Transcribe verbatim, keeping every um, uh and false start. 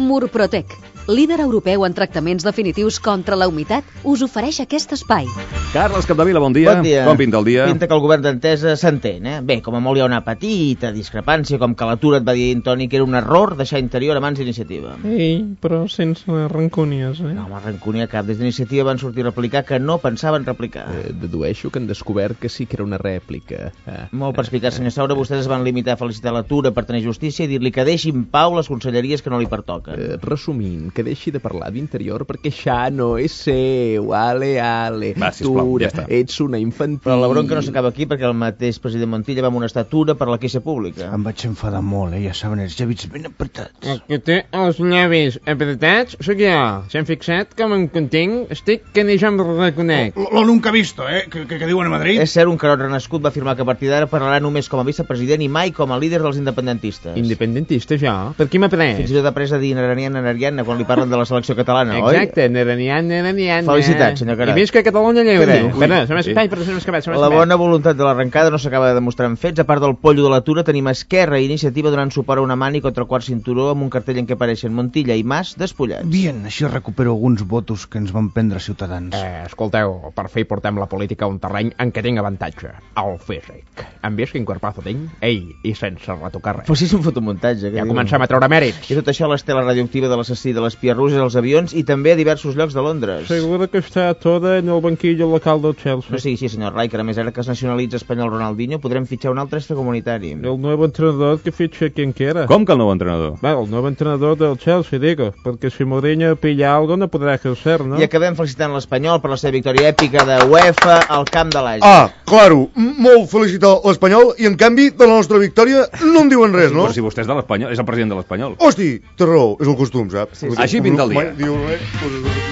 Murprotec, líder europeu en tractaments definitius contra la humitat, us ofereix aquest espai. Carles Capdevila, bon dia. Bon dia. Com pinta el dia? Pinta que el govern d'Entesa s'entén, eh? Bé, com a molt hi ha una petita discrepància, com que l'atur et va dir Toni que era un error deixar Interior a mans d'Iniciativa. Ei, però sense rancúnies, eh? No, home, rancúnia cap. Des d'Iniciativa van sortir a replicar que no pensaven replicar. Eh, dedueixo que han descobert que sí que era una rèplica. Ah. Molt perspicaç, senyor Saura. Vostès es van limitar a felicitar l'atura per tenir justícia i dir-li que deixi en pau les conselleries que no li pertoquen. Eh, resumint, que deixi de parlar d'Interior perquè això no és seu. Ale, ale. Va, sisplau, ja està. Ets una infantil. Però la bronca no s'acaba aquí perquè el mateix president Montilla va amonestar Tura per la queixa pública. Em vaig enfadar molt, eh? Ja saben, els llavis ben apretats. El que té els llavis apretats sóc jo. S'han fixat com em contenc? Estic que ni jo em reconec. Lo, lo nunca visto, eh? Que, que, que diuen a Madrid. És cert, un carot renascut va afirmar que a partir d'ara parlarà només com a vicepresident i mai com a líder dels independentistes. Independentista, jo? Per qui m'ha pres? Fins i tot ha pres a dir Neranian, Neranian quan li parlen de la selecció catalana, oi? Exacte, Neranian, Neranian. Felicitats, senyor Carat. I visca Catalunya lliure. Ui, Espera, se m'ha espai, però se m'ha escapat, se m'ha La escapat. bona voluntat de l'arrencada no s'acaba de demostrar en fets. A part del pollo de l'atura, tenim Esquerra i Iniciativa donant suport a una mani contra el quart cinturó amb un cartell en què apareixen Montilla i Mas despullats. Bien, així recupero alguns votos que ens van prendre Ciutadans. Eh, escolteu, per fi portem la política a un terreny en què tinc avantatge. El físic. Hem vist quin corpazo tinc? Ei, i sense retocar res. Però si és un fotomuntatge. Ja comencem a treure mèrits. I tot això a l'estela radioactiva de l'assassí de l'espia russes als avions i també a diversos llocs de Londres. Segura que està toda en el banquillo local del Chelsea. No sigui així, senyor Rai, que a més ara que es nacionalitza espanyol Ronaldinho podrem fitxar un altre extracomunitari. El nuevo entrenador que ficha quien quiera. Com que el nou entrenador? Bueno, el nuevo entrenador del Chelsea, digo, porque si Mourinho pilla algo no podrá ejercer, ¿no? I acabem felicitant l'Espanyol per la seva victòria èpica de UEFA al camp de l'Àgia. Ah, claro, molt felicitar l'Espanyol i en canvi de la nostra victòria no en diuen res, no? Però si vostè és de l'Espanyol, és el president de l'Espanyol. Hosti, té raó, és el costum, saps? Sí, sí. Així pinta el dia. Mai diu res, doncs...